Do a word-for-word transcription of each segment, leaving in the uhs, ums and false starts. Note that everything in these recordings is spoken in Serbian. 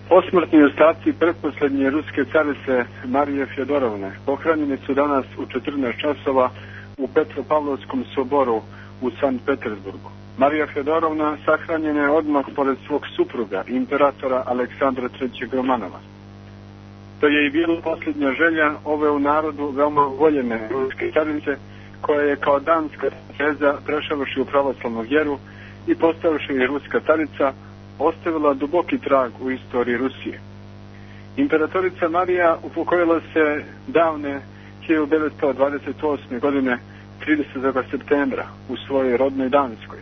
Posmrtni ostaci pretposlednje ruske carice Marije Fjodorovne pohranjeni su danas u četrnaest časova u Petropavlovskom soboru u Sankt Petersburgu. Marija Fjodorovna sahranjena je odmah pored svog supruga, imperatora Aleksandra trećeg Romanova. To je i bila posljednja želja ove u narodu veoma voljene ruske carice, koja je kao danska princeza, prešavši u pravoslavnu vjeru i postavši i ruska carica, ostavila duboki trag u istoriji Rusije. Imperatorica Marija upokojila se davne hiljadu devetsto dvadeset osme. godine tridesetog septembra u svojoj rodnoj Danskoj.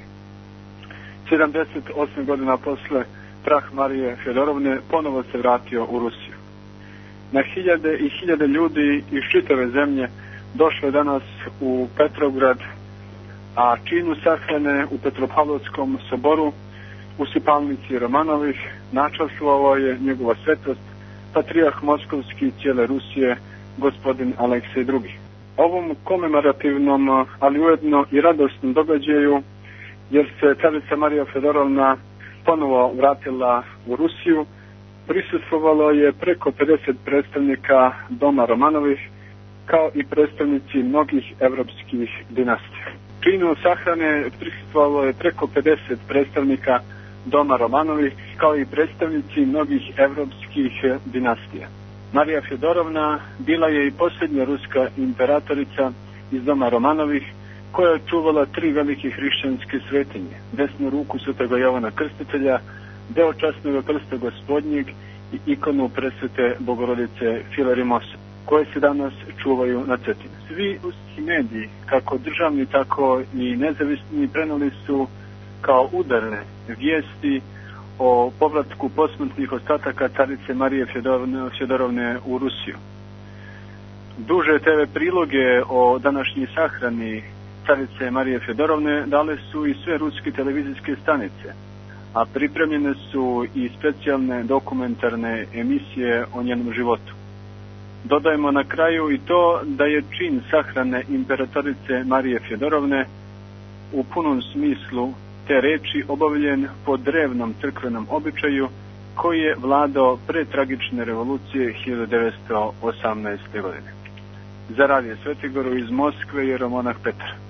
sedamdeset osam godina posle prah Marije Fjodorovne ponovo se vratio u Rusiju. Na hiljade i hiljade ljudi iz čitave zemlje došlo je danas u Petrograd, a činu sahrane u Petropavlovskom soboru u sipalnici Romanovih načastvovao je njegova svetost, patrijarh moskovski cijele Rusije, gospodin Aleksej drugi. Ovom komemorativnom, ali ujedno i radosnom događaju, jer se carica Marija Fjodorovna ponovo vratila u Rusiju, prisustvovalo je preko pedeset predstavnika doma Romanovih, kao i predstavnici mnogih evropskih dinastija. Činu sahrane prisustvovalo je preko pedeset predstavnika doma Romanovih, kao i predstavnici mnogih evropskih dinastija. Marija Fjodorovna bila je i posljednja ruska imperatorica iz doma Romanovih, koja je čuvala tri velike hrišćanske svetinje: desnu ruku Svetog Jovana Krstitelja, deo časnog krsta Gospodnjeg i ikonu presvete Bogorodice Filarimosa, koje se danas čuvaju na Cetini. Svi ruski mediji, kako državni, tako i nezavisni, preneli su kao udarne vijesti o povratku posmrtnih ostataka carice Marije Fjodorovne, Fjodorovne u Rusiju. Duže te ve priloge o današnjoj sahrani carice Marije Fjodorovne dale su i sve ruske televizijske stanice, a pripremljene su i specijalne dokumentarne emisije o njenom životu. Dodajemo na kraju i to da je čin sahrane imperatorice Marije Fjodorovne u punom smislu te reči obavljen po drevnom crkvenom običaju koji je vladao pre tragične revolucije hiljadu devetsto osamnaeste. godine. Za Radio Svetigoru iz Moskve je Romonah Petar.